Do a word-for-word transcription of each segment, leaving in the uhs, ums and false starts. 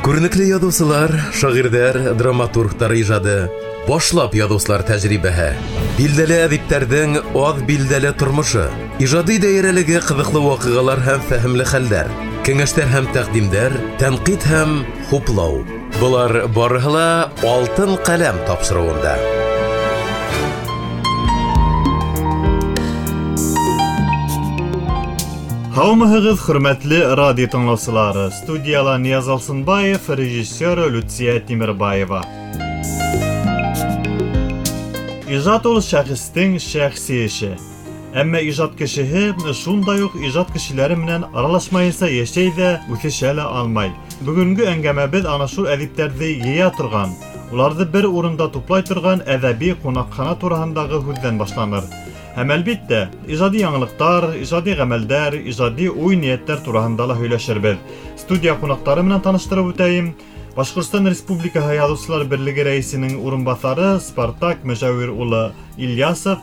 Күренекле яҙыусылар, шағирҙәр, драматургтар ижады, башлап яҙыусылар тәжрибәһе, билдәле әҙиптәрҙең аҙ билдәле тормошо, ижади даирәлеге ҡыҙыҡлы ваҡиғалар һәм фәһемле хәлдәр, кәңәштәр һәм тәҡдимдәр, тәнҡит һәм хуплау. Былар барыһы ла «Алтын ҡәләм» тапшырыуында. Һаумыһығыҙ, хөрмәтле радио тыңлаусылары. Студияла Нияз Алсынбаев, режиссер Люция Тимербаева. Ижад ул шәхестең шәхси эше. Әммә ижад кешеһе шундай уҡ ижад кешеләре менән аралашмайынса йәшәй ҙә, үҫешә лә алмай. Бөгөнгө әңгәмәбеҙ ана шул әҙиптәрҙе йыя торған, уларҙы бер урында туплай торған әҙәби ҡунаҡхана тураһындағы һүҙҙән башланыр. Һәм әлбиттә, ижади яңылыҡтар, ижади ғәмәлдәр, ижади уй-ниәттәр тураһында ла һөйләшербеҙ. Студия ҡунаҡтары менән таныштырып үтәйем. Башҡортостан Республикаһы Яҙыусылар Берлеге рәйесенең урынбаҫары Спартак Мөжәүир улы Ильясов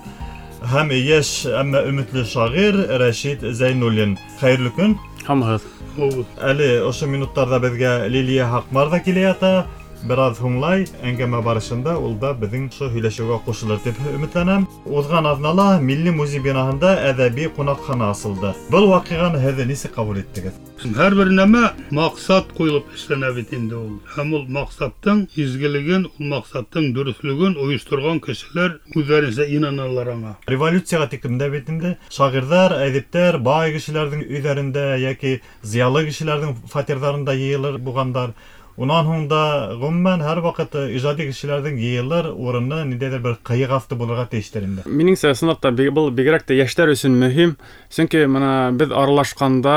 һәм йәш, әммә өмөтлө шағир Рәшит Зәйнуллин. Хәйерле көн. Һаумыһығыҙ. Әле ошо минуттарҙа беҙгә Лилиә Һаҡмар ҙа килә ята. Бер аҙ һуңлай, әңгәмә барышында ул да беҙҙең ошо һөйләшеүгә ҡушылыр тип өмөтләнәм. Уҙған аҙнала Милли музей бинаһында әҙәби ҡунаҡхана асылды. Был ваҡиғаны һеҙ нисек ҡабул иттегеҙ? Һәр бер нәмә маҡсат ҡуйылып эшләнә бит инде ул. Һәм ул маҡсаттың изгелеген, ул маҡсаттың дөрөҫлөгөн ойошторған кешеләр үҙҙәренсә инаналар аңа. Революцияға тиклем дә бит инде шағирҙар, әҙиптәр бай кешеләрҙең өйҙәрендә йәки зыялы кешеләрҙең фатирҙарында йыйылыр булғандар. Унан һуң да ғөмүмән һәр ваҡыт ижади кешеләрҙең йыйылыр урыны ниндәйҙер бер ҡыйыҡ аҫты булырға тейештер инде. Минеңсә, ысынлап та был бигерәк тә йәштәр өсөн мөһим. Сөнки мына беҙ аралашҡанда,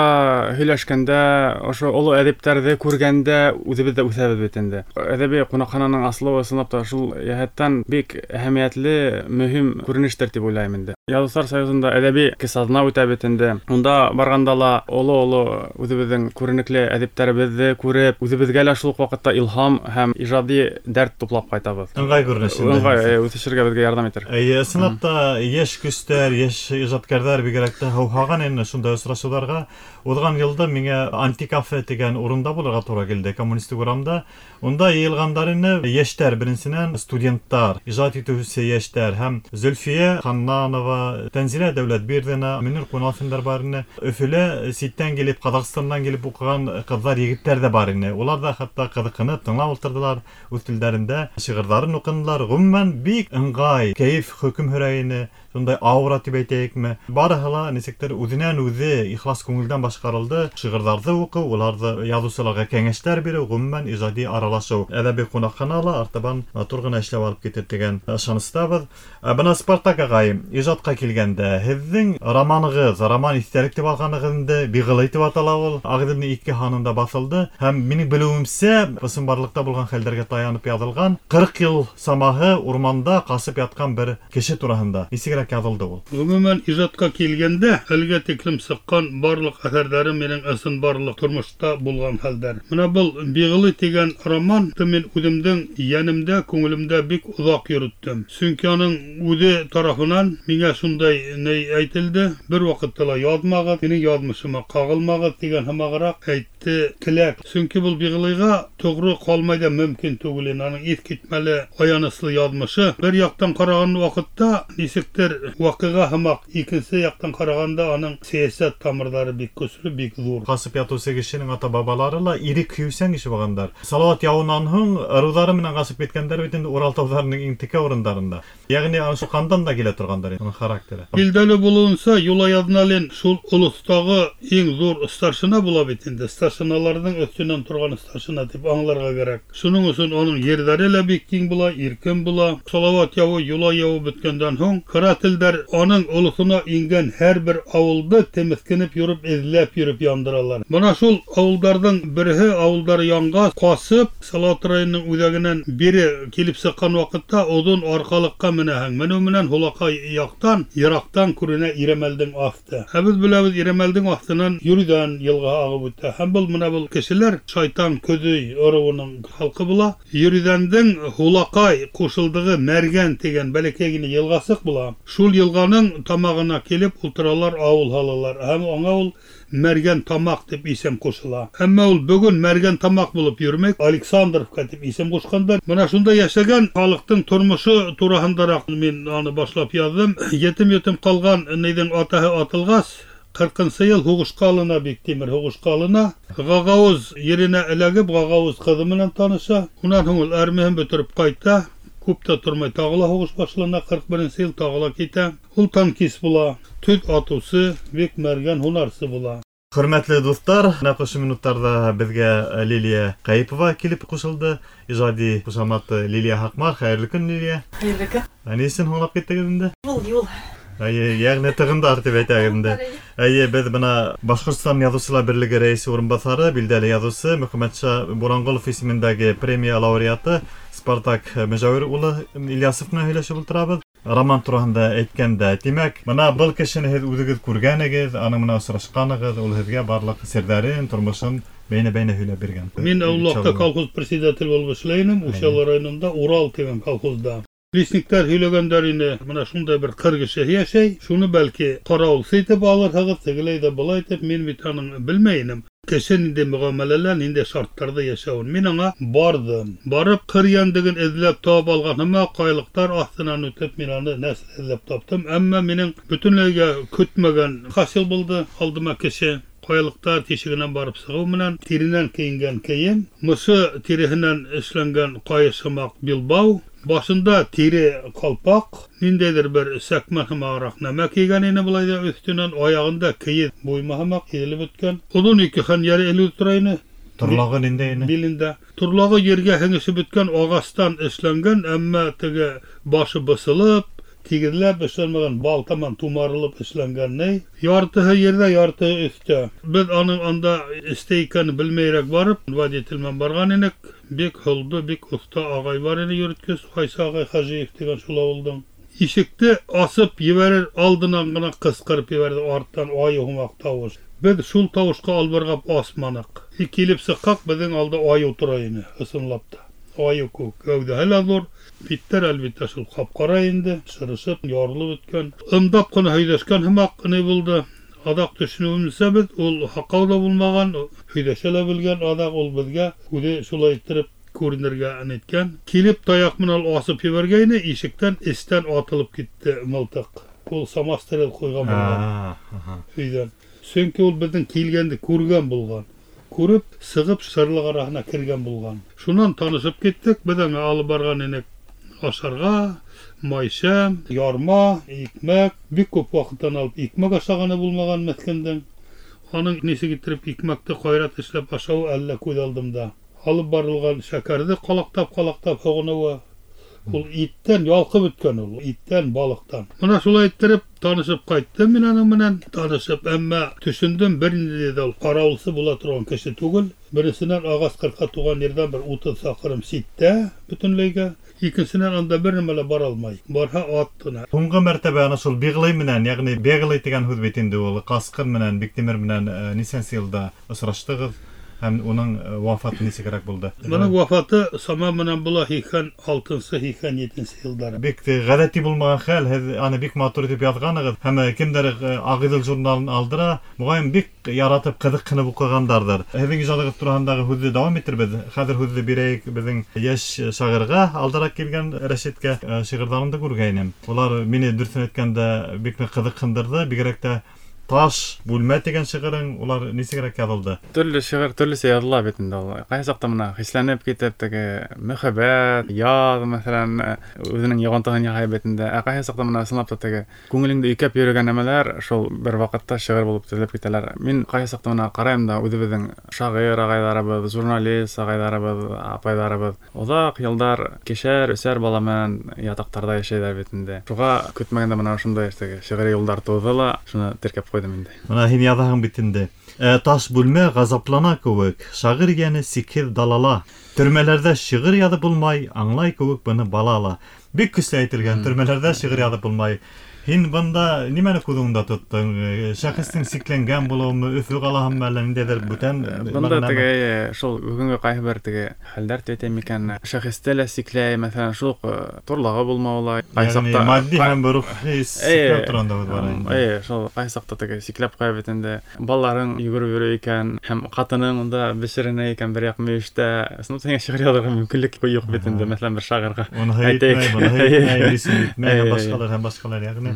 һөйләшкәндә, ошо оло әҙиптәрҙе күргәндә үҙебеҙ ҙә үҫәбеҙ бит инде. Әҙәби ҡунаҡхананың асылыуы ысынлап та шул йәһәттән бик әһәмиәтле, мөһим күренештер тип уйлайым инде. Яҙыусылар союзында әҙәби кесаҙна үтә бит инде. Унда барғанда ла оло-оло үҙебеҙҙең күренекле әҙиптәребеҙҙе күреп, үҙебеҙгә лә шул ваҡытта илһам һәм ижади дәрт туплап ҡайтабыҙ. Ыңғай күренеш инде. Ыңғай, үҫешергә беҙгә ярҙам итер. Эйе, ысынлап та йәш көстәр, йәш ижадкәрҙәр бигерәк тә һыуһаған ине шундай осрашыуҙарға. Уҙған йылда миңә антикафе тигән урында булырға тура килде, Коммунистик урамда. Унда йыйылғандар ине йәштәр, беренсенән студенттар, ижад итеүсе йәштәр һәм Зөлфиә Ханнанова, Тәнзилә Дәүләтбирҙина, Мөнир Ҡунафиндар бар ине. Өфөлә ситтән килеп, Ҡаҙағстандан килеп уҡыған ҡыҙҙар, егеттәр ҙә бар ине. Улар ҙа хатта ҡыҙыҡһынып тыңлап ултырҙылар, үҙ телдәрендә шиғырҙарын уҡынылар. Ғөмүмән бик ыңғай, кәйеф хөкөм һөрә ине. Шундай аура тип әйтәйекме? Барыһы ла нисектер үҙенән үҙе ихлас күңелдән башҡарылды. Шиғырҙарҙы уҡыу, уларҙы яҙыусыларға кәңәштәр биреү, ғөмүмән ижади аралашыу. Әҙәби ҡунаҡхана ла артабан матур ғына эшләп алып китер тигән ышаныстабыҙ. Ә бына Спартак ағай, ижадҡа килгәндә, һеҙҙең романығыҙ, роман иҫтәлек тип алғанығыҙ инде, Биғылый тип атала ул. Ағиҙелдең ике һанында баҫылды. Һәм минең белеүемсә, ысынбарлыҡта булған хәлдәргә таянып яҙылған ҡырҡ йыл самаһы урманда ҡасып ятҡан бер кеше тураһында. Нисегерәк яҙылды ул? Ғөмүмән, ижадҡа килгәндә, әлгә тиклем сыҡҡан барлыҡ әҫәрҙәрем минең ысынбарлыҡ тормошта булған хәлдәр. Мына был Биғылый тигән роман мин үҙемдең йәнемдә, күңелемдә бик оҙаҡ йөрөттөм. Сөнки уның үҙе тарафынан миңә шундай ни әйтелде: бер ваҡытта ла яҙмағыҙ, минең яҙмышыма ҡағылмағыҙ тигән һымағыраҡ әйтте теләк. Сөнки был Биғылыйға тоғро ҡалмай ҙа мөмкин түгел ине. Уның иҫ китмәле аяныслы яҙмышы. Бер яҡтан ҡараған ваҡытта нисектер ваҡиға һымаҡ, икенсе яҡтан ҡарағанда уның сәйәсәт тамырҙары бик көслө, бик ҙур. Ҡасып ятыусы кешенең ата-бабалары ла ирек һөйөүсән кеше булғандар. Салауат яуынан һуң ырыуҙары менән ҡасып киткәндәр бит инде Урал тауҙарының иң текә урындарында. Йәғни ана шул ҡандан да килә торғандар уның характеры. Билдәле булыуынса, Юлай Аҙналин шул олоҫтағы иң ҙур старшина була бит инде. Старшиналарҙың өҫтөнән торған старшина тип аңларға кәрәк. Шуның өсөн уның ерҙәре лә бик киң була, иркен була. Салауат яуы, Юлай яуы бөткәндән һуң карателдәр уның олоҫона ингән һәр бер ауылды темеҫкенеп йөрөп, эҙләп йөрөп яндыралар. Бына шул ауылдарҙың береһе, ауылдар янғас, ҡасып, Салауат районының үҙәгенән бире килеп сыҡҡан ваҡытта оҙон арҡалыҡҡа менәһең. Менеү менән һулаҡай яҡтан, йыраҡтан күренә Ирәмәлдең аҫты. Ә беҙ беләбеҙ, Ирәмәлдең аҫтынан Йөрөҙән йылға ағып үтә. Һәм был мына был кешеләр Шайтан Көҙөй ырыуының халҡы була. Йөрөҙәндең һулаҡай ҡушылдығы Мәргән тигән бәләкәй генә йылғасыҡ була. Шул йылғаның тамағына килеп ултыралар, ауыл һалалар. Һәм аңа ул Мәргән Тамаҡ тип исем ҡушыла. Әммә ул бөгөн Мәргән Тамаҡ булып йөрөмәй, Александровка тип исем ҡушҡандар. Бына шунда йәшәгән халыҡтың тормошо тураһындараҡ мин аны башлап яҙҙым. Етем-етем ҡалған нейҙең атаһы атылғас, ҡырҡынсы йыл һуғышҡа алына Биктимер, һуғышҡа алына. Ғағауыз еренә эләгеп, Ғағауыз ҡыҙы менән таныша. Унан һуң ул армияһын бөтөрөп ҡайта. Күп тә тормай тағы ла һуғыш башлана, ҡырҡ беренсе йыл тағы ла китә. Ул танкист була, төҙ атыусы, бик мәргән һунарсы була. Хөрмәтле дуҫтар, нәҡ ошо минуттарҙа беҙгә Лилия Ҡәйепова килеп ҡушылды. Ижади ҡушаматы Лилия Һаҡмар. Хәйерле көн, Лилия. Хәйерле көн. Ә ни өсөн һуңлап киттегеҙ инде? Ул юл. Әйе, йәғни тығындар тип әйтәйек инде. Әйе, беҙ бына Башҡортостан Яҙыусылар берлеге рәйесе урынбаҫары, билдәле яҙыусы Мөхәммәтша Буранғолов исемендәге премия лауреаты Спартак Мөжәүер улы Ильясов менән һөйләшеп ултырабыҙ. Роман тураһында әйткәндә, тимәк, бына был кешене һеҙ үҙегеҙ күргәнегеҙ, аның менән осрашҡанығыҙ, ул һеҙгә барлыҡ серҙәрен, тормошон бәйнә-бәйнә һөйләп биргән. Мин Аулаҡта колхоз председатель булып эшләй инем, Учалы районында Урал тигән колхозда. Лесниктар һөйләгәндәр ине, бына шундай бер ҡыр кеше йәшәй, шуны бәлки ҡарауылсы итеп алырһығыҙ, тегеләй ҙә былай итеп, мин бит аның белмәй инем. Кеше ниндәй мөғәмәләлә, ниндәй шарттарҙа йәшәүен. Мин аңа барҙым. Барып ҡыр йәнлеген эҙләп табып алған һымаҡ, ҡайлыҡтар аҫтынан үтеп мин аны нәсел эҙләп таптым. Әммә минең бөтөнләйгә көтмәгән хасил булды алдыма кеше. Ҡаялыҡтар тишегенән барып сығыу менән тиренән кейенгән кейем, мысы тиреһенән эшләнгән ҡайыш һымаҡ билбау, башында тире ҡалпаҡ, ниндәйҙер бер сәкмән һымағыраҡ нәмә кейгән ине былай ҙа өҫтөнән, аяғында кейеҙ буйма һымаҡ иҙелеп бөткән. Оҙон ике хәнйәре элеү тора ине. Торлағы ниндәй ине? Билендә. Торлағы ергә һеңешеп бөткән ағастан эшләнгән, әммә теге башы бысылып, тигеҙләп эшләнмәгән, балтаман тумарылып эшләнгән ней. Яртыһы ерҙә, яртыһы өҫтә. Беҙ аның анда эстә икәнен белмәйерәк барып, водитель менән барған инек. Бик һолдо, бик оҫта ағай бар ине йөрөткөс, Ҡайсы ағай Хажиев тигән шул ауылдың. Ишекте асып ебәрер алдынан ғына ҡысҡырып ебәрҙе арттан айыу һымаҡ тауыш. Беҙ шул тауышҡа албырғап асманыҡ. И килеп сыҡҡаҡ, беҙҙең алда айыу тора ине, ысынлап та. Айыу кеүек кәүҙәһе лә ҙур, биттәр әлбиттә шул ҡап-ҡара инде, шырышып, ярылып бөткән. Ымдап ҡына һөйләшкән һымаҡ ни булды. Аҙаҡ төшөнөүемсә беҙ, ул һаҡау ҙа булмаған, һөйләшә лә белгән, аҙаҡ ул беҙгә үҙе шулай иттереп күренергә ниткән. Килеп таяҡ менән асып ебәргәйне, ишектән эстән атылып китте мылтыҡ. Ул самострел ҡуйған булған өйҙән. Сөнки ул беҙҙең килгәнде күргән булған. Күреп, сығып шырлыҡ араһына кергән булған. Шунан танышып киттек, беҙ аңа алып барған инек ашарға, майшәм, ярма, икмәк. Бик күп ваҡыттан алып икмәк ашағаны булмаған меҫкендең. Аның нисек иттереп икмәкте ҡайрат эшләп ашауы әллә күҙ алдымда. Алып барылған шәкәрҙе ҡалаҡтап-ҡалаҡтап һоғоноуы. Ул иттән ялҡып бөткән ул, иттән, балыҡтан. Бына шулай иттереп танышып ҡайттым мин аның менән. Танышып, әммә төшөндөм, бер ниндәй ҙә ул ҡарауылсы була торған кеше түгел. Беренсенән, ағас ҡырҡа туған ерҙән бер утыҙ саҡрым ситтә бөтөнләйгә. Икенсенән, анда бер нәмә лә бара алмай. Барһа ат ҡына. Һуңғы мәртәбә ана шул Биғлый менән, йәғни Беглый тигән һүҙ бит инде ул, Ҡасҡын менән, Биктимер менән нисәнсе йылда осраштығыҙ? Һәм уның вафаты нисегерәк булды? Уның вафаты сама менән була һикһән алтынсы, һикһән етенсе йылдары. Бик ғәҙәти булмаған хәл, һеҙ аны бик матур итеп яҙғанығыҙ. Һәм кемдәр Ағиҙел журналын алдыра, моғайын бик яратып, ҡыҙыҡһынып уҡығандарҙыр. Һеҙҙең ижадығыҙ тураһындағы һүҙҙе дауам итербеҙ. Хәҙер һүҙҙе бирәйек беҙҙең йәш шағирға, алдараҡ килгән Рәшиткә. Шиғырҙарымды күргәйнем. Улар мине дөрөҫөн әйткәндә бик ныҡ ҡыҙыҡһындырҙы, бигерәк тә Таш бүлмә тигән шиғырың, улар нисегерәк яҙылды? Төрлө шиғыр төрлөсә яҙыла бит инде ул. Ҡайһы саҡта бына хисләнеп китеп, теге мөхәббәт, яҙ, мәҫәлән, үҙенең йоғонтоһон яһай бит инде. Ә ҡайһы саҡта бына ысынлап та теге күңелеңде өйкәп йөрөгән нәмәләр шул бер ваҡытта шиғыр булып теҙелеп китәләр. Мин ҡайһы саҡта бына ҡарайым да үҙебеҙҙең шағир ағайҙарыбыҙ, журналист ағайҙарыбыҙ, апайҙарыбыҙ оҙаҡ йылдар кешәр, өсәр бала менән ятаҡтарҙа йәшәйҙәр бит инде. Шуға көтмәгәндә бына ошондай теге шиғри юлдар тыуҙы ла, шуны теркәп ҡуйҙым инде. Бына һин яҙаһың бит инде. Ә, таш бүлмә ғазаплана кеүек, шағир йәне сикһеҙ далала. Төрмәләрҙә шиғыр яҙып булмай, аңлай кеүек быны бала ла. Бик көслө әйтелгән, төрмәләрҙә шиғыр яҙып булмай. Һин бында нимәне күҙ уңында тоттоң? Шәхестең сикләнгән булыуымы, Өфө ҡалаһымы, әллә ниндәйҙер бүтән? Бында теге шул бөгөнгө ҡайһы бер теге хәлдәр тип әйтәм икән, шәхесте лә сикләй, мәҫәлән, шул уҡ торлағы булмауы ла, ҡайһы саҡта матди һәм рухи сикләү тураһында һүҙ бара инде. Эйе, шул ҡайһы саҡта теге сикләп ҡуя бит инде. Балаларың йүгереп йөрөй икән, һәм ҡатының унда бешеренә икән бер яҡ мөйөштә. Ысынлап һиңә шиғыр яҙырға мөмкинлек юҡ бит инде, мәҫәлән, бер шағирға. Уныһы етмәй, быныһы етмәй, исем етмәй, һәм башҡалар, һәм башҡалар, йәғни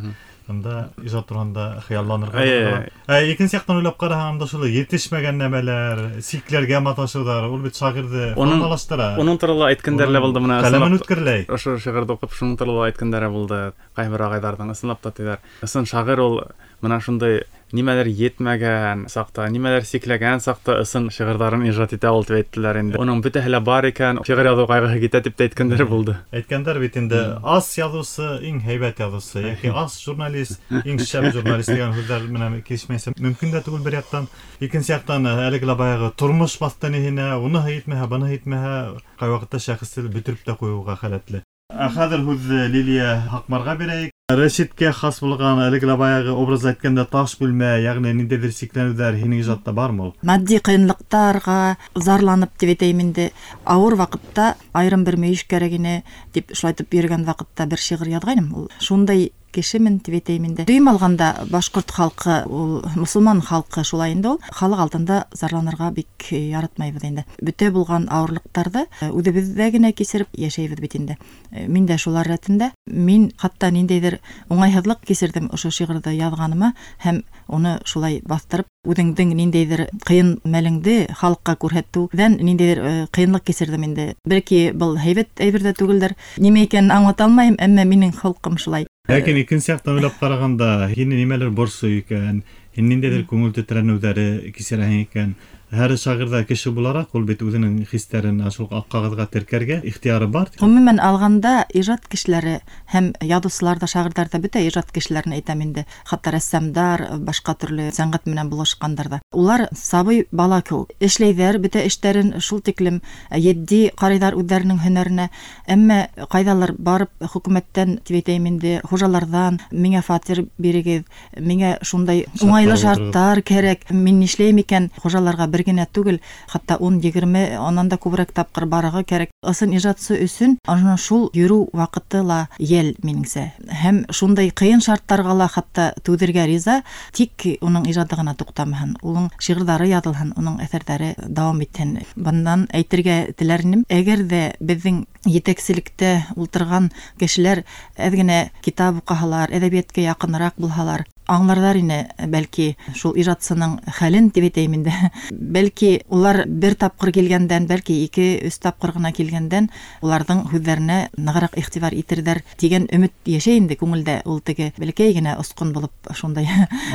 Ында ижад тураһында хыялланырға була. Ә икенсе яҡтан уйлап ҡараһаң, анда шул етешмәгән нәмәләр, сикләргә маташыуҙар, ул бит шағирҙы формалаштыра. Уның турала әйткәндәре лә булды мына. Ҡәләмен үткерләй. Ошо шиғырҙы уҡып, шуның турала әйткәндәре булды. Ҡайһы бер ағайҙарҙың ысынлап та тиҙәр. Ысын шағир ул мына шундай нимәлер етмәгән саҡта, нимәлер сикләгән саҡта ысын шиғырҙарын ижад итә ул тип әйттеләр инде. Уның бөтәһе лә бар икән, шиғыр яҙыу ҡайғыһы китә тип тә әйткәндәре булды. Әйткәндәр бит инде, ас яҙыусы иң һәйбәт яҙыусы, йәки ас журналист иң шәп журналист тигән һүҙҙәр менән килешмәйсә мөмкин дә түгел бер яҡтан. Икенсе яҡтан әлеге лә баяғы тормош баҫты ниһенә, уныһы етмәһә, быныһы етмәһә, ҡай ваҡытта шәхесте бөтөрөп тә ҡуйыуға хәләтле. Ә хәҙер һүҙҙе Лилия Һаҡмарға бирәйек. Рәшиткә хас булған әлеге лә баяғы образ әйткәндә таш бүлмә, йәғни ниндәйҙер сикләнеүҙәр һинең ижадта бармы ул? Матди ҡыйынлыҡтарға зарланып тип әйтәйем инде, ауыр ваҡытта айырым бер мөйөш кәрәк ине тип шулайтып йөрөгән ваҡытта бер шиғыр яҙғайным. Ул шундай кешемен тип әйтәйем инде. Дөйөм алғанда башҡорт халҡы, ул мосолман халҡы шулай инде ул. Халыҡ алдында зарланырға бик яратмайбыҙ инде. Бөтә булған ауырлыҡтарҙы үҙебеҙҙә генә кисереп йәшәйбеҙ бит инде. Мин дә шулар рәтендә. Мин хатта ниндәйҙер уңайһыҙлыҡ кисерҙем ошо шиғырҙы яҙғаныма һәм уны шулай баҫтырып үҙеңдең ниндәйҙер ҡыйын мәлеңде халыҡҡа күрһәтеүҙән ниндәйҙер ҡыйынлыҡ кисерҙем инде. Бәлки был һәйбәт әйбер ҙә түгелдер. Нимә икәнен аңлата алмайым, әммә минең холҡом шулай. Ләкин икенсе яҡтан уйлап ҡарағанда, һине нимәлер борсой икән, һин ниндәйҙер күңел тетрәнеүҙәре кисерәһең икән. Һәр шағирҙа кеше булараҡ ул бит үҙенең хистәрен шул аҡ ҡағыҙға теркәргә ихтыяры бар. Ғөмүмән алғанда ижад кешеләре һәм яҙыусылар ҙа, шағирҙар ҙа, бөтә ижад кешеләрен әйтәм инде, хатта рәссамдар, башҡа төрлө сәнғәт менән булышҡандар ҙа. Улар сабый бала кеүек эшләйҙәр, бөтә эштәрен шул тиклем етди ҡарайҙар үҙҙәренең һөнәренә. Әммә ҡайҙалыр барып хөкүмәттән тип әйтәйем инде, хужаларҙан миңә фатир бирегеҙ, миңә шундай уңайлы шарттар кәрәк, мин нишләйем икән, хужаларға бер генә түгел, хатта ун, егерме, анан да күберәк тапҡыр барырға кәрәк. Ысын ижадсы өсөн ана шул йөрөү ваҡыты ла йәл минеңсә. Һәм шундай ҡыйын шарттарға ла хатта түҙергә риза, тик уның ижады ғына туҡтамаһын, уның шиғырҙары яҙылһын, уның әҫәрҙәре дауам итһен. Бынан әйтергә теләр инем, әгәр ҙә беҙҙең етәкселектә ултырған кешеләр әҙ генә китап уҡыһалар, әҙәбиәткә яҡыныраҡ булһалар, аңларҙар ине бәлки шул ижадсының хәлен тип әйтәйем инде. Бәлки улар бер тапҡыр килгәндән, бәлки ике, өс тапҡыр ғына килгәндән уларҙың һүҙҙәренә нығыраҡ иғтибар итерҙәр тигән өмөт йәшәй инде күңелдә. Ул теге бәләкәй генә осҡон булып шундай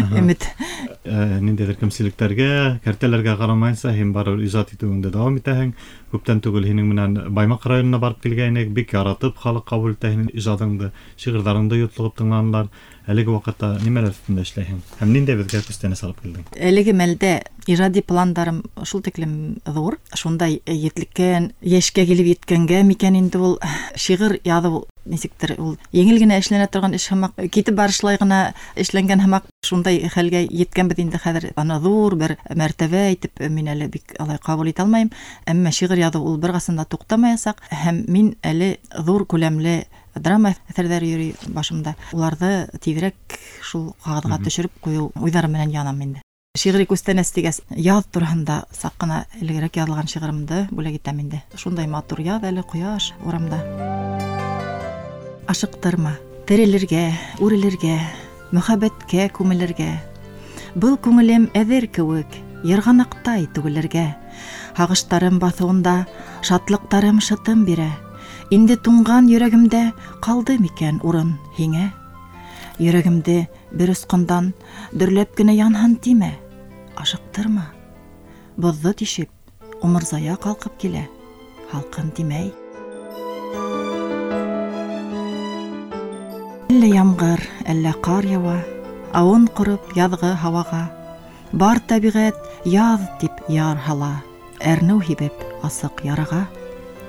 өмөт. Ниндәйҙер кемселектәргә, кәртәләргә ҡарамайынса һин барыбер ижад итеүеңде дауам итәһең. Күптән түгел һинең менән Баймаҡ районына барып килгәйнек, бик яратып халыҡ ҡабул итә һинең ижадыңды, шиғырҙарыңды йотлоғоп тыңланылар. Әлеге ваҡытта нимәләр өҫтөндә эшләйһең? Һәм ниндәй беҙгә күстәнәс алып килдең? Әлеге мәлдә ижади пландарым шул тиклем ҙур, шундай етлеккән, йәшкә килеп еткәнгә микән инде ул шиғыр яҙыу нисектер ул еңел генә эшләнә торған эш һымаҡ, китеп барышлай ғына эшләнгән һымаҡ, шундай хәлгә еткәнбеҙ инде хәҙер. Аны ҙур бер мәртәбә итеп мин әле бик алай ҡабул итә алмайым, әммә шиғыр яҙыу ул бер ҡасан да туҡтамаясаҡ, һәм мин әле ҙур күләмле драма әҫәрҙәре йөрөй башымда. Уларҙы тиҙерәк шул ҡағыҙға төшөрөп ҡуйыу уйҙары менән янам инде. Шиғри күстәнәс тигәс, яҙ тураһында саҡ ҡына элегерәк яҙылған шиғырымды бүләк итәм инде. Шундай матур яҙ әле, ҡояш урамда. Ашыҡтырма, терелергә, үрелергә, мөхәббәткә күмелергә. Был күңелем әҙер кеүек, йырғанаҡтай түгелергә. Һағыштарым баҫыуында, шатлыҡтарым шытым бирә. Инде туңған йөрәгемдә ҡалды микән урын һиңә? Йөрәгемде бер осҡондан дөрләп кенә янһын тимә. Ашыҡтырма. Боҙҙо тишеп, умырзая ҡалҡып килә. Һалҡын тимәй. Әллә ямғыр, әллә ҡар яуа, ауын ҡороп яҙғы һауаға. Бар тәбиғәт яҙ тип яр һала, әрнеү һибеп асыҡ яраға.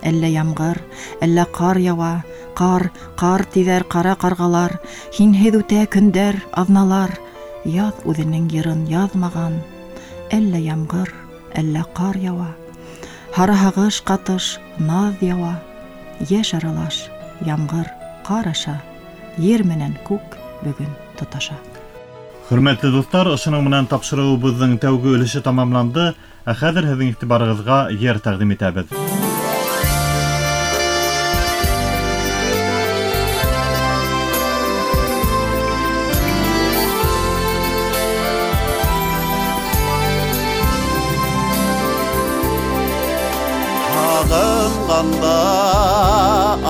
Әллә ямғыр, әллә ҡар яуа, ҡар, ҡар тиҙәр ҡара ҡарғалар, һинһеҙ үтә көндәр, аҙналар, яҙ үҙенең йырын яҙмаған. Әллә ямғыр, әллә ҡар яуа, һары һағыш ҡатыш наҙ яуа, йәш аралаш, ямғыр, ҡар аша, ер менән күк бөгөн тоташа. Хөрмәтле дуҫтар, ошоноң менән тапшырыуыбыҙҙың тәүге өлөшө тамамланды. Ә хәҙер һеҙҙең иғтибарығыҙға йыр тәҡдим итәбеҙ. Һағынғанда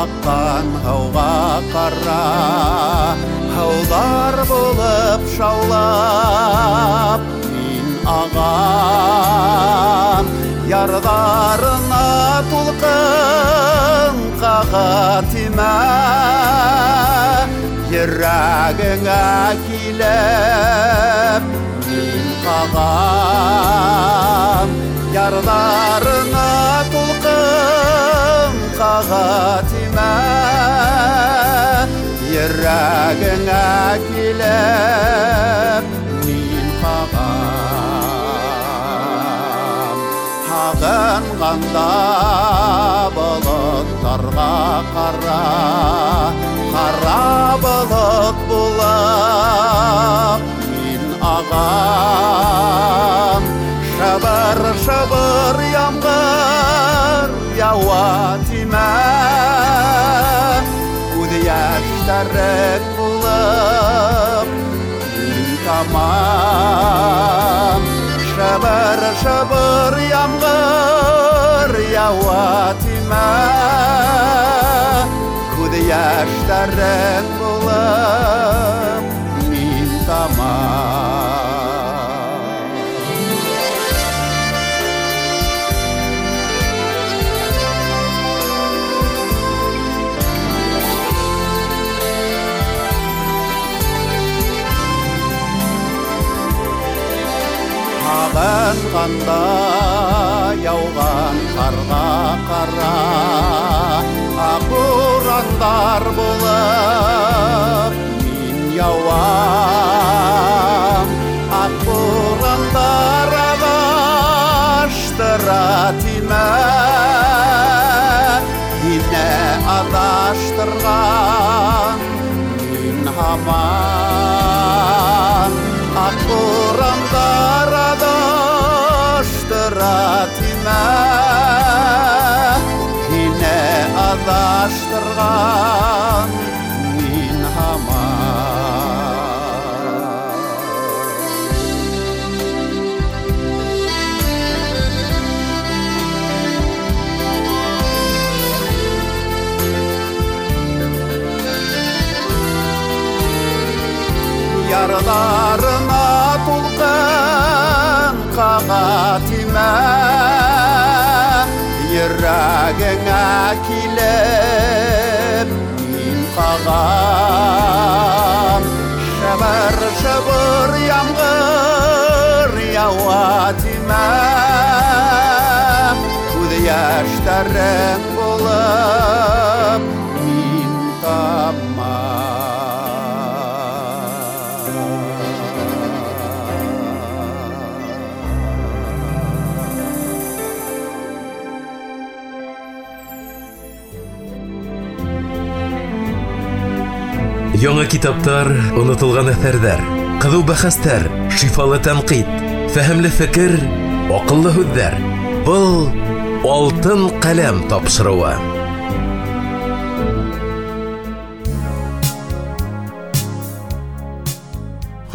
аҡҡан һыуға ҡара, һыуҙар булып шаулап мин ағам, ярҙарына тулҡын ҡаға тимә, йөрәгеңә килеп мин ҡағам, ярҙарына тулҡын ҡаға тимә, йөрәгеңә килеп мин ҡағам. Һағынғанда болоттарға ҡара, ҡара болот булып мин ағам, шыбыр-шыбыр ямғыр яуа тимә, күҙ йәштәрең булып мин тамам, шыбыр-шыбыр ямғыр яуа тимә, күҙ йәштәрең булып мин тамам. Һағынғанда яуған ҡарға ҡара, аҡ бурандар булып мин яуам, аҡ бурандар аҙаштыра тимә, һине аҙаштырған мин һаман, аҡ бурандар аҙаштыра тимә, һине аҙаштырған мин һаман. Ярҙарына тулҡын ҡаға тимә, йөрәгеңә килеп мин ҡағам, шыбыр-шыбыр ямғыр яуа тимә, күҙ йәштәрең булып мин тамам. Яңы китаптар, онотолған әҫәрҙәр, ҡыҙыу бәхәстәр, шифалы тәнҡит, фәһемле фекер, аҡыллы һүҙҙәр. Был Алтын ҡәләм тапшырыуы.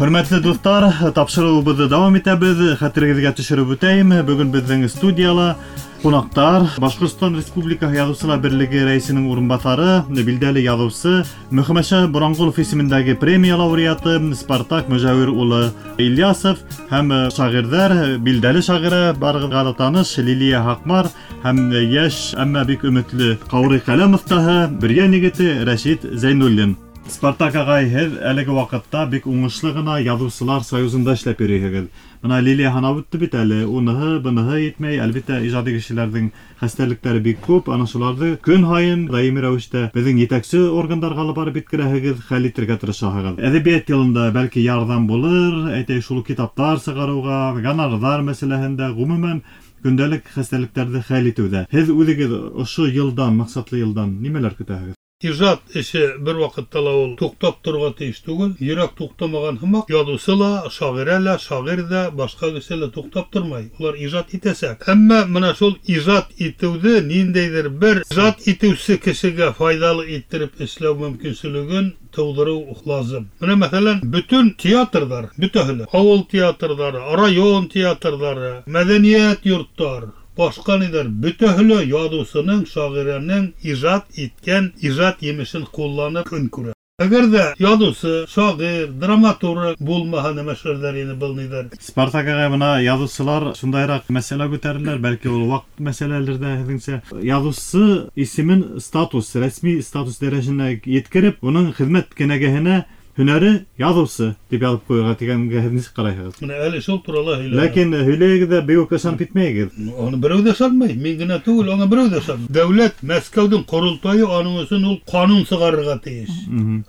Хөрмәтле дуҫтар, тапшырыуыбыҙҙы дауам итәбеҙ. Хәтерегеҙгә төшөрөп үтәйем, бөгөн беҙҙең студияла ҡунаҡтар Башҡортостан Республикаһы Яҙыусылар Берлеге рәйесенең урынбаҫары, билдәле яҙыусы, Мөхәммәтша Боранғолов исемендәге премия лауреаты Спартак Мөжәүир улы Ильясов һәм шағирҙәр, билдәле шағирә, барығыҙға ла таныш Лилиә Һаҡмар һәм йәш, әммә бик өмөтлө ҡаурый ҡәләм оҫтаһы, Бөрйән егете Рәшит Зәйнуллин. Спартак ағай, һеҙ әлеге ваҡытта бик уңышлы ғына Яҙыусылар союзында эшләп йөрөйһөгөҙ. Бына Лилия һанап үтте бит әле, уныһы, быныһы етмәй. Әлбиттә, ижади кешеләрҙең хәстәрлектәре бик күп. Ана шуларҙы көн һайын даими рәүештә беҙҙең етәксе органдарға алып барып еткерәһегеҙ, хәл итергә тырышаһығыҙ. Әҙәбиәт йылында бәлки ярҙам булыр, әйтәйек, шул китаптар сығарыуға, гонорарҙар мәсьәләһендә, ғөмүмән көндәлек хәстәрлектәрҙе хәл итеүҙә. Һеҙ үҙегеҙ ошо йылдан, маҡсатлы йылдан нимәләр көтәһегеҙ? Ижат эше бер ваҡытта ла ул туҡтап торорға тейеш түгел. Йөрәк туҡтамаған һымаҡ, яҙыусы ла, шағирә лә, шағир ҙә, башҡа кеше лә туҡтап тормай. Улар ижат итәсәк. Әммә мына шул ижат итеүҙе ниндәйҙер бер ижат итеүсе кешегә файҙалы иттереп эшләү мөмкинселеген тыуҙырыу лазым. Мына мәҫәлән, бөтөн театрҙар, бөтәһе лә, ауыл театрҙары, район театрҙары, мәҙәниәт йорттар, башҡа ниҙәр, бөтәһе лә яҙыусының, шағирәнең ижат иткән ижат емешен ҡулланып көн күрә. Әгәр ҙә яҙыусы, шағир, драматург булмаһа, нәмә эшләрҙәр ине был ниҙәр? Спартак ағай, бына яҙыусылар шундайыраҡ мәсьәлә күтәреләр, бәлки ул ваҡ мәсьәләлер ҙә һеҙҙеңсә. Яҙыусы исемен статус, рәсми статус дәрәжәһенә еткереп, уның хеҙмәт кенәгәһенә һөнәре яҙыусы тип яҙып ҡуйырға тигәнгә һеҙ нисек ҡарайһығыҙ? Бына әле шул турала һөйләнә. Ләкин һөйләйегеҙ ҙә бик үк ышанып китмәйегеҙ. Аны берәү ҙә ышанмай, мин генә түгел, аңа берәү ҙә ышанмай. Дәүләт Мәскәүҙең ҡоролтайы аның өсөн ул ҡанун сығарырға тейеш.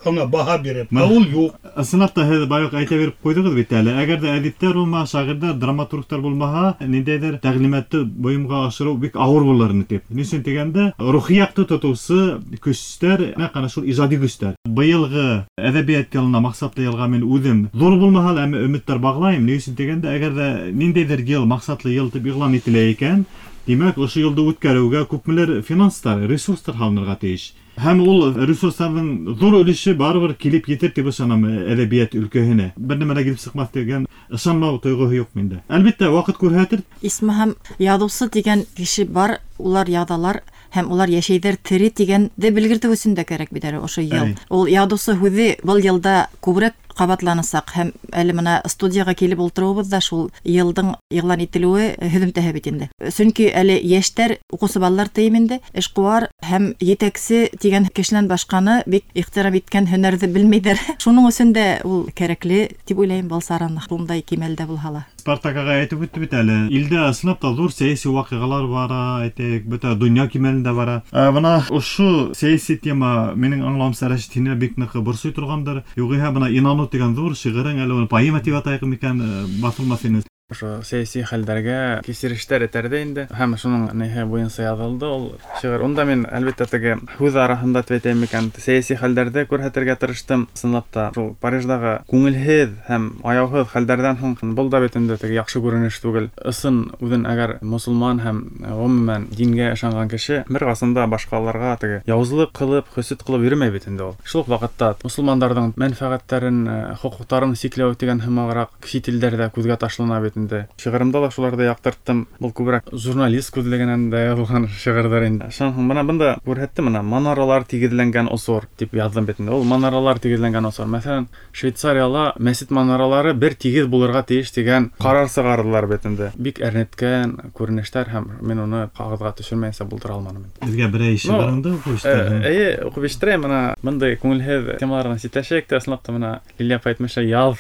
Аңа баһа биреп. Ә ул юҡ. Ысынлап та һеҙ баяғы әйтә биреп ҡуйҙығыҙ бит әле. Әгәр ҙә әҙиптәр булмаһа, шағирҙар, драматургтар булмаһа, ниндәйҙер тәғлимәтте бойомға ашырыу бик ауыр булыр ине тип. Ни өсөн тигәндә, рухи яҡты тотоусы көстәр, нәҡ ана шул ижади көстәр. Быйылғы әҙәбиәт йылына, маҡсатлы йылға мин үҙем ҙур булмаһа ла, әммә өмөттәр бағлайым. Ни өсөн тигәндә, әгәр ҙә ниндәйҙер йыл, маҡсатлы йыл тип иғлан ителә икән, тимәк, ошо йылды үткәреүгә күпмелер финанстар, ресурстар һалынырға тейеш. Һәм ул ресурстарҙың ҙур өлөшө барыбер килеп етер тип ышанам әҙәбиәт өлкәһенә. Бер нәмә лә килеп сыҡмаҫ тигән ышанмау тойғоһо юҡ миндә. Әлбиттә, ваҡыт күрһәтер. Исмаһам, яҙыусы тигән кеше бар, улар яҙалар һәм улар йәшәйҙәр тере тигәнде белгертеү өсөн дә кәрәк бит әле ошо йыл. Әй. Ул яҙыусы һүҙе был йылда күберәк ҡабатланасаҡ һәм әле мына студияға килеп ултырыуыбыҙ ҙа шул йылдың иғлан ителеүе һөҙөмтәһе бит инде. Сөнки әле йәштәр, уҡыусы балалар тейем инде, эшҡыуар һәм етәксе тигән кешенән башҡаны бик ихтирам иткән һөнәрҙе белмәйҙәр. Шуның өсөн дә ул кәрәкле тип уйлайым, был сараны шундай кимәлдә булһа ла. Спартак ағай әйтеп үтте бит әле, илдә ысынлап та ҙур сәйәси ваҡиғалар бара, әйтәйек, бөтә донъя кимәлендә бара. Ә, бына ошо сәйәси тема минең аңлауымса, Рәшит, һине бик ныҡ борсой торғандыр. Юғиһә бына инаныу тигән ҙур шиғырың, әле уны поэма тип атайыҡ микән, баҫылмаҫ ине. Ошо сәйәси хәлдәргә кисерештәр этәрҙе инде. Һәм шуның ниһе буйынса яҙылды ул шиғыр. Унда мин әлбиттә теге һүҙ араһында тип әйтәйем микән, сәйәси хәлдәрҙе күрһәтергә тырыштым. Ысынлап та шул Париждағы күңелһеҙ һәм аяуһыҙ хәлдәрҙән һуң был да бит инде теге яҡшы күренеш түгел. Ысын үҙен әгәр мосолман һәм ғөмүмән дингә ышанған кеше бер ҡасан да башҡаларға теге яуызлыҡ ҡылып, хөсөт ҡылып йөрөмәй бит инде ул. Шул уҡ ваҡытта мосолмандарҙың мәнфәғәттәрен, хоҡуҡтарын сикләү тигән һымағыраҡ сит илдәрҙә күҙгә ташлана бит инде. Шиғырымда ла шуларҙы яҡтырттым. Был күберәк журналист күҙлегенән дә яҙылған шиғырҙар инде. Шунан һуң бына бында күрһәттем, бына манаралар тигеҙләнгән осор тип яҙҙым бит инде. Ул манаралар тигеҙләнгән осор. Мәҫәлән, Швейцарияла мәсет манаралары бер тигеҙ булырға тейеш тигән ҡарар сығарҙылар бит инде. Бик әрнеткән күренештәр һәм мин уны ҡағыҙға төшөрмәйенсә булдыра алманым инде. Беҙгә берәй шиғырыңды уҡып ишеттерҙең. Э, эйе, уҡып ишеттерәйем. Бына бындай күңелһеҙ темаларҙан ситләшәйек тә, ысынлап та бына Лилия апай әйтмешә, яҙ.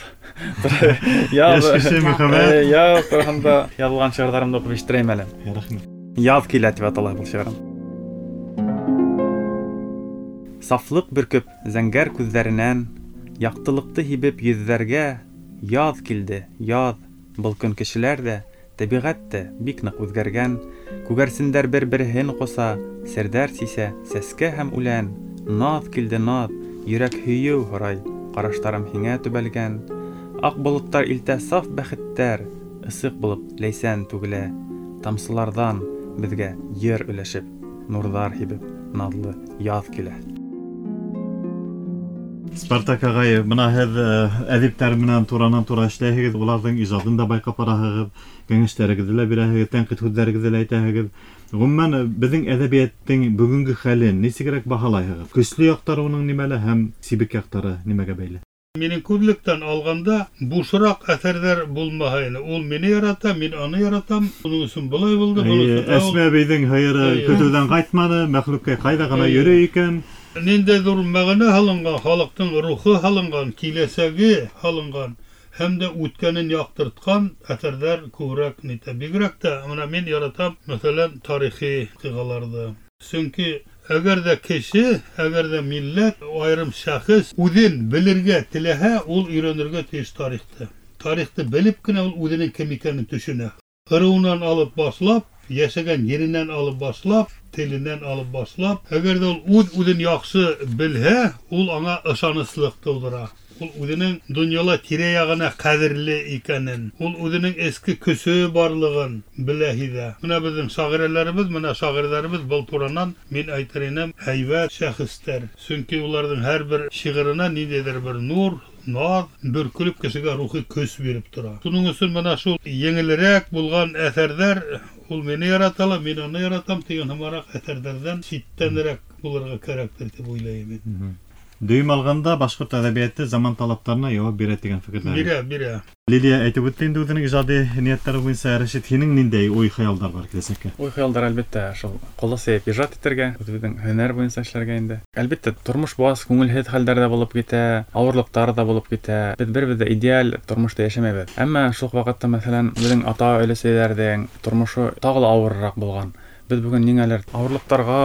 Яҙ. Йәш кеше мөхәббәт. Э, яҙ тураһында яҙылған шиғырҙарымды уҡып ишеттерәйем әле. Рәхмәт. Яҙ килә тип атала был шиғырым. Сафлыҡ бөркөп зәңгәр күҙҙәренән, яҡтылыҡты һибеп йөҙҙәргә, яҙ килде, яҙ. Был көн кешеләр ҙә, тәбиғәт тә бик ныҡ үҙгәргән. Күгәрсендәр бер-береһен ҡоса, серҙәр сисә, сәскә һәм үлән. Наҙ килде, наҙ, йөрәк һөйөү һорай, ҡараштарым һиңә төбәлгән. Аҡ болоттар илтә саф бәхеттәр, ысыҡ булып ләйсән түгелә. Тамсыларҙан беҙгә ер өләшеп, нурҙар һибеп, наҙлы яҙ килә. Спартак ағай, бына һеҙ, э, әҙиптәр менән туранан-тура эшләйһегеҙ, уларҙың ижадын да байҡап бараһығыҙ, кәңәштәрегеҙҙе лә бирәһегеҙ, тәнҡит һүҙҙәрегеҙҙе лә әйтәһегеҙ. Ғөмүмән, беҙҙең әҙәбиәттең бөгөнгө хәлен нисегерәк баһалайһығыҙ? Көслө яҡтары уның нимәлә һәм сибек яҡтары нимәгә бәйле? Минең күҙлектән алғанда бушыраҡ әҫәрҙәр булмаһа ине. Ул мине ярата, мин аны яратам. Уның өсөн былай булды, был Эйе, өсөн Әсмә әбейҙең һыйыры Эйе. көтөүҙән ҡайтманы, мәхлүккә ҡайҙа ғына Эйе. йөрөй икән. Ниндәй ҙур мәғәнә һалынған, халыҡтың рухы һалынған, киләсәге һалынған һәм дә үткәнен яҡтыртҡан әҫәрҙәр күберәк нитә. Бигерәк тә мына мин яратам, мәҫәлән, тарихи ваҡиғаларҙы. Сөнки әгәр ҙә кеше, әгәр ҙә милләт, айырым шәхес үҙен белергә теләһә, ул өйрәнергә тейеш тарихты. Тарихты белеп кенә ул үҙенең кем икәнен төшөнә. Ырыуынан алып башлап, йәшәгән еренән алып башлап, теленән алып башлап, әгәр ҙә ул үҙ-үҙен яҡшы белһә, ул аңа ышаныслыҡ тыуҙыра. Ул үҙенең донъяла тирә-яғына ҡәҙерле икәнен, ул үҙенең эске көсө барлығын белә, һиҙә. Мына беҙҙең шағирәләребеҙ, мына шағирҙәребеҙ был туранан мин әйтер инем, һәйбәт шәхестәр. Сөнки уларҙың һәр бер шиғырына ниндәйҙер бер нур, наз бөркөлөп кешегә рухи көс биреп тора. Шуның өсөн мына шул еңелерәк булған әҫәрҙәр, ул мине ярата ла, мин уны яратам тигән һымараҡ әҫәрҙәрҙән ситтәнерәк булырға кәрәктер тип уйлайым мин. Дөйөм алғанда башҡорт әҙәбиәте заман талаптарына яуап бирә тигән фекерҙәр. Бирә, бирә. Лилия әйтеп үтте инде үҙенең ижади ниәттәре буйынса. Рәшит, һинең ниндәй уй-хыялдар бар киләсәккә? Уй-хыялдар әлбиттә шул ҡулы сейеп ижад итергә, үҙебеҙҙең һөнәр буйынса эшләргә инде. Әлбиттә, тормош баз күңелһеҙ хәлдәр ҙә булып китә, ауырлыҡтар ҙа булып китә. Беҙ беребеҙ ҙә идеаль тормошта йәшәмәйбеҙ. Әммә шул уҡ ваҡытта, мәҫәлән, беҙҙең ата-өләсәйҙәрҙең тормошо тағы ла ауырыраҡ булған. Беҙ бөгөн ниңәлер ауырлыҡтарға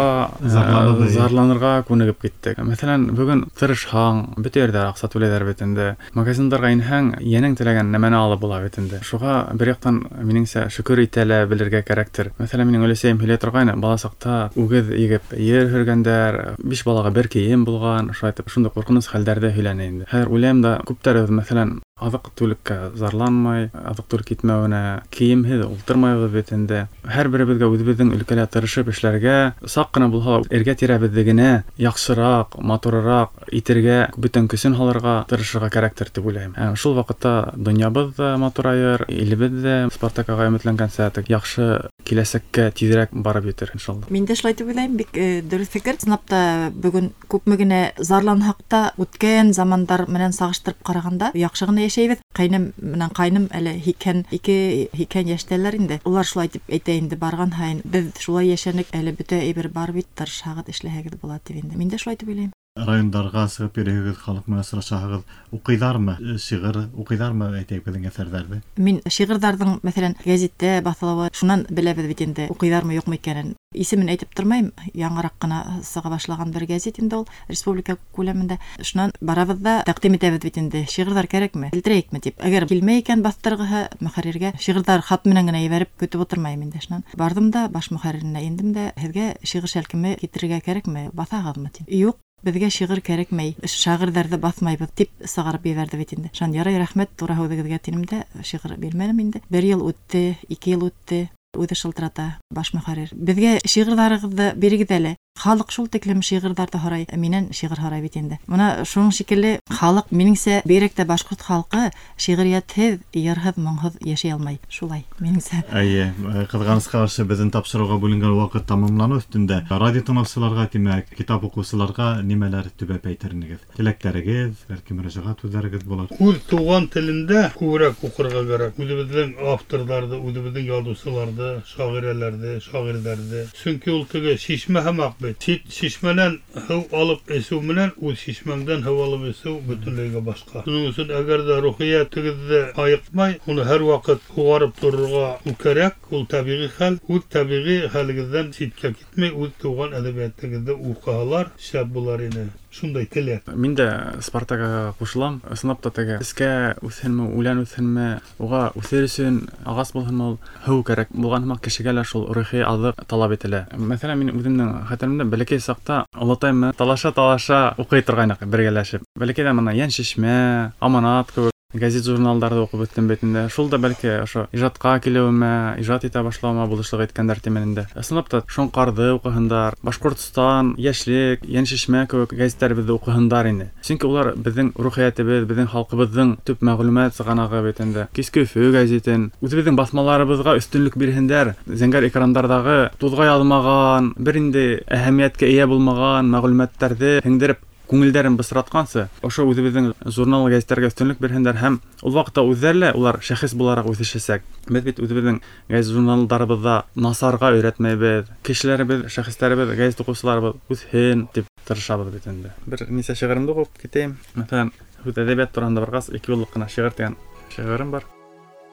зарланырға күнегеп киттек. Мәҫәлән, бөгөн тырышһаң, бөтә ерҙә аҡса түләйҙәр бит инде. Магазиндарға инһәң, йәнең теләгән нәмәне алып була бит инде. Шуға бер яҡтан минеңсә шөкөр итә лә белергә кәрәктер. Мәҫәлән, минең өләсәйем һөйләй торғайны, бала саҡта үгеҙ егеп ер һөргәндәр, биш балаға бер кейем булған, шулай итеп шундай ҡурҡыныс хәлдәрҙе һөйләне инде. Хәҙер уйлайым да, күптәребеҙ, мәҫәлән, аҙыҡ-түлеккә зарланмай, аҙыҡ-түлек етмәүенә, кейемһеҙ ултырмайбыҙ бит инде. Һәр беребеҙгә үҙебеҙҙең өлкәлә тырышып эшләргә, саҡ ҡына булһа ла эргә-тирәбеҙҙе генә яҡшыраҡ, матурыраҡ итергә, бөтөн көсөн һалырға тырышырға кәрәктер тип уйлайым. Ә шул ваҡытта донъябыҙ ҙа матурайыр, илебеҙ ҙә Спартак ағай өмөтләнгәнсә яҡшы киләсәккә тиҙерәк барып етер, иншалла. Мин дә шулай тип уйлайым, бик дөрөҫ фекер. Ысынлап та бөгөн күпме генә зарланһаҡ та, үткән замандар менән сағыштырып ҡарағанда яҡшы ғына йәшәйбеҙ. Ҡайным менән ҡайным әле һикһән ике, һикһән йәштәләр инде. Улар шулай тип әйтә инде барған һайын, беҙ шулай йәшәнек, әле бөтә әйбер бар бит, тырышһағыҙ, эшләһәгеҙ була тип инде. Мин дә шулай тип уйлайым. Райондарға сығып йөрөйһөгөҙ, халыҡ менән осрашаһығыҙ, уҡыйҙармы шиғыр, уҡыйҙармы әйтәйек беҙҙең әҫәрҙәрҙе? Мин шиғырҙарҙың, мәҫәлән, гәзиттә баҫылыуы, шунан беләбеҙ бит инде, уҡыйҙармы, юҡмы икәнен. Исемен әйтеп тормайым, яңыраҡ ҡына сыға башлаған бер гәзит инде ул, республика күләмендә. Шунан барабыҙ да тәҡдим итәбеҙ бит инде, шиғырҙар кәрәкме, килтерәйекме тип. Әгәр килмәй икән баҫтырғыһы мөхәрриргә, шиғырҙар хат менән генә ебәреп көтөп ултырмайым инде. Шунан барҙым да баш мөхәрриренә индем дә, һеҙгә шиғыр шәлкеме килтерергә кәрәкме, баҫағыҙмы тип. Юҡ, беҙгә шиғыр кәрәкмәй, шағирҙарҙы баҫмайбыҙ тип сығарып ебәрҙе бит инде. Шунан ярай, рәхмәт, тура һүҙегеҙгә тинем дә, шиғыр бирмәнем инде. Бер йыл үтте, ике йыл үтте, үҙе шылтырата баш мөхәррир. Беҙгә шиғырҙарығыҙҙы бирегеҙ әле. Халыҡ шул тиклем шиғырҙарҙы һорай, минән шиғыр һорай бит инде. Мына шуның шикелле халыҡ, минеңсә, бигерәк тә башҡорт халҡы шиғриәтһеҙ, йырһыҙ, моңһоҙ йәшәй алмай. Шулай, минеңсә. Эйе, ҡыҙғанысҡа ҡаршы беҙҙең тапшырыуға бүленгән ваҡыт тамамланыу өҫтөндә. Радио тыңлаусыларға, тимәк, китап уҡыусыларға нимәләр төбәп әйтер инегеҙ? Теләктәрегеҙ, бәлки мөрәжәғәт һүҙҙәрегеҙ булыр. Үҙ туған телендә күберәк уҡырға кәрәк. Үҙебеҙҙең авторҙарҙы, үҙебеҙҙең яҙыусыларҙы, шағирәләрҙе, шағирҙәрҙе. Сөнки ул теге шишмә һымаҡ бит. Сит шишмәнән һыу алып эсеү менән үҙ шишмәңдән һыу алып эсеү бөтөнләйгә башҡа. Шуның өсөн әгәр ҙә рухиәтегеҙҙе айыҡмай, уны һәр ваҡыт һуғарып торорға кәрәк. Ул тәбиғи хәл. Үҙ тәбиғи хәлегеҙҙән ситкә китмәй, үҙ тыуған әҙәбиәтегеҙҙе уҡыһалар шәп булар ине. Шундай теләк. Мин дә Спартакка ҡушылам. Ысынлап та теге эскә үҫһенме, үлән үҫһенме, уға үҫер өсөн ағас булһынмы, ул һыу кәрәк булған һымаҡ кешегә лә шул рухи аҙыҡ талап ителә. Мәҫәлән, мин үҙемдең хәтеремдә бәләкәй саҡта олатайым менән талаша-талаша уҡый торғайныҡ бергәләшеп. Бәләкәйҙән мына Йән шишмә, Аманат кеүек гәзит журналдарҙы уҡып үҫтем бит инде. Шул да бәлки ошо ижадҡа килеүемә, ижад итә башлауыма булышлыҡ иткәндәр тимен инде. Ысынлап та Шоңҡарҙы уҡыһындар, Башҡортостан, Йәшлек, Йән шишмә кеүек гәзиттәребеҙҙе уҡыһындар ине. Сөнки улар беҙҙең рухиәтебеҙ, беҙҙең халҡыбыҙҙың төп мәғлүмәт сығанағы бит инде. Киске Өфө гәзитен, үҙебеҙҙең баҫмаларыбыҙға өҫтөнлөк бирһендәр. Зәңгәр экрандарҙағы туҙға яҙмаған, бер инде әһәмиәткә эйә булмаған мәғлүмәттәрҙе һеңдереп Күңелдәрен бысратҡансы, ошо үҙебеҙҙең журнал, гәзиттәргә өҫтөнлөк бирһендәр һәм ул ваҡытта үҙҙәре лә улар шәхес булараҡ үҫешәсәк. Беҙ бит үҙебеҙҙең гәзит журналдарыбыҙҙа насарға өйрәтмәйбеҙ. Кешеләребеҙ, шәхестәребеҙ, гәзит уҡыусыларыбыҙ үҫһен тип тырышабыҙ бит инде. Бер нисә шиғырымды уҡып китәйем. Мәҫәлән, һүҙ әҙәбиәт тураһында барғас, ике юллыҡ ҡына шиғыр тигән шиғырым бар.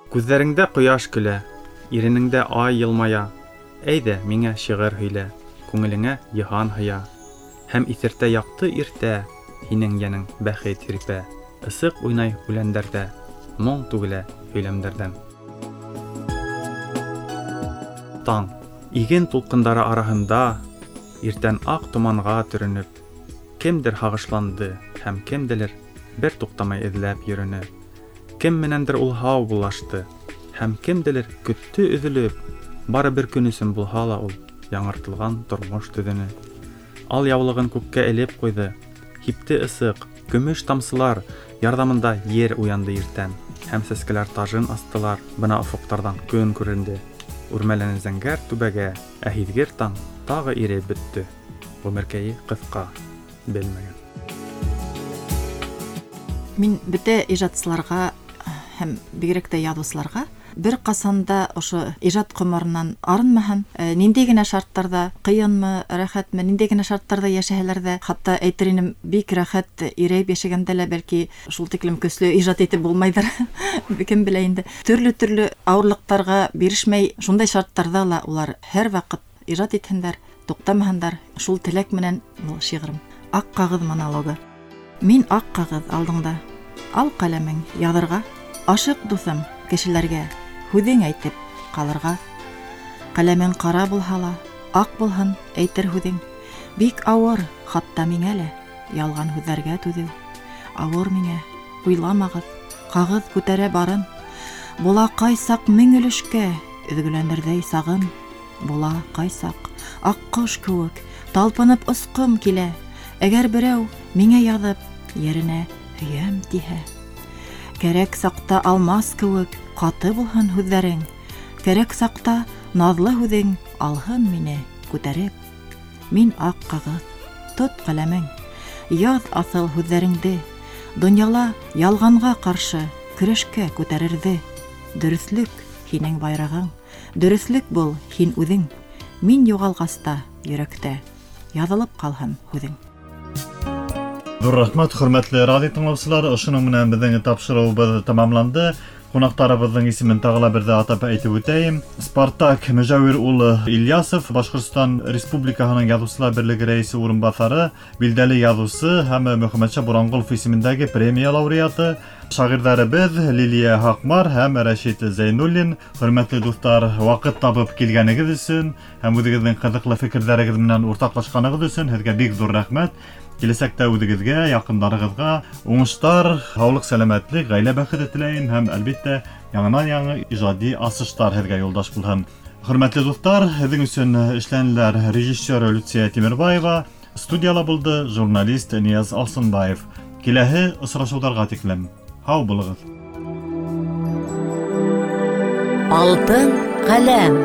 Күҙҙәреңдә ҡояш көлә, иренеңдә ай йылмая. Әйҙә, миңә шиғыр һөйлә, күңелеңә йыһан һыя. Һәм иҫертә яҡты иртә, һинең йәнең бәхет һирпә. Ысыҡ уйнай үләндәрҙә, моң түгелә һөйләмдәрҙән. Таң, иген тулҡындары араһында, иртән аҡ томанға төрөнөп, кемдер һағышланды һәм кемделер бер туҡтамай эҙләп йөрөнө. Кем менәндер ул һау булашты, һәм кемделер көттө өҙөлөп, бары бер көн өсөн булһа ла ул яңыртылған тормош төҙөнө. Ал яулығын күккә элеп ҡуйҙы, һипте ысыҡ, көмөш тамсылар ярҙамында ер уянды иртән, һәм сәскәләр тажын астылар, бына офоҡтарҙан көн күренде. Үрмәләне зәңгәр түбәгә, ә һиҙгер таң тағы иреп бөттө. Ғүмеркәйе ҡыҫҡа, белмәгән. Мин бөтә ижадсыларға һәм бигерәк тә яҙыусыларға бер ҡасан да ошо ижад ҡомарынан арынмаһын, ниндәй генә шарттарҙа, ҡыйынмы, рәхәтме, ниндәй генә шарттарҙа йәшәһәләр ҙә, хатта әйтер инем, бик рәхәт ирәйеп йәшәгәндә лә бәлки шул тиклем көслө ижад итеп булмайҙыр. Кем белә инде. Төрлө-төрлө ауырлыҡтарға бирешмәй, шундай шарттарҙа ла улар һәр ваҡыт ижад итһендәр, туҡтамаһындар. Шул теләк менән был шиғырым. Аҡ ҡағыҙ монологы. Мин аҡ ҡағыҙ алдыңда, ал ҡәләмең яҙырға, ашыҡ дуҫым кешеләргә һүҙең әйтеп ҡалырға. Ҡәләмең ҡара булһа ла, аҡ булһын әйтер һүҙең. Бик ауыр, хатта миңә лә ялған һүҙҙәргә түҙеү. Ауыр миңә, уйламағыҙ, ҡағыҙ күтәрә барын. Була ҡайсаҡ мең өлөшкә өҙгөләнерҙәй сағым. Була ҡайсаҡ аҡ ҡош кеүек талпынып осҡом килә. Әгәр берәү миңә яҙып еренә һөйәм тиһә. Кәрәк саҡта алмас кеүек ҡаты булһын һүҙҙәрең. Кәрәк саҡта наҙлы һүҙең алһын мине күтәреп. Мин аҡ ҡағыҙ, тот ҡәләмең, яҙ аҫыл һүҙҙәреңде. Донъяла ялғанға ҡаршы көрәшкә күтәрерҙе. Дөрөҫлөк һинең байрағың, дөрөҫлөк бул һин үҙең. Мин юғалғас та йөрәктә яҙылып ҡалһын һүҙең. Ҙур рәхмәт, хөрмәтле радио тыңлаусылар. Ошоноң менән беҙҙең тапшырыуыбыҙ тамамланды. Ҡунаҡтарыбыҙҙың исемен тағы ла берҙә атап әйтеп үтәйем. Спартак Мөжәүир улы Ильясов, Башҡортостан Республикаһының Яҙыусылар берлеге рәйесе урынбаҫары, билдәле яҙыусы һәм Мөхәммәтша Буранғолов исемендәге премия лауреаты, шағирҙәребеҙ Лилиә Һаҡмар һәм Рәшит Зәйнуллин. Хөрмәтле дуҫтар, ваҡыт табып килгәнегеҙ өсөн һәм үҙегеҙҙең ҡыҙыҡлы фекерҙәрегеҙ менән уртаҡлашҡанығыҙ өсөн һеҙгә бик ҙур рәхмәт. Киләсәктә үҙегеҙгә, яҡындарығыҙға уңыштар, һаулыҡ, сәләмәтлек, ғаилә бәхете теләйем һәм әлбиттә яңынан-яңы ижади асыштар һеҙгә юлдаш булһын. Хөрмәтле дуҫтар, һеҙҙең өсөн эшләнеләр режиссер Люция Тимербаева, студияла булды журналист Нияз Алсынбаев. Киләһе осрашыуҙарға тиклем һау булығыҙ. Алтын ҡәләм.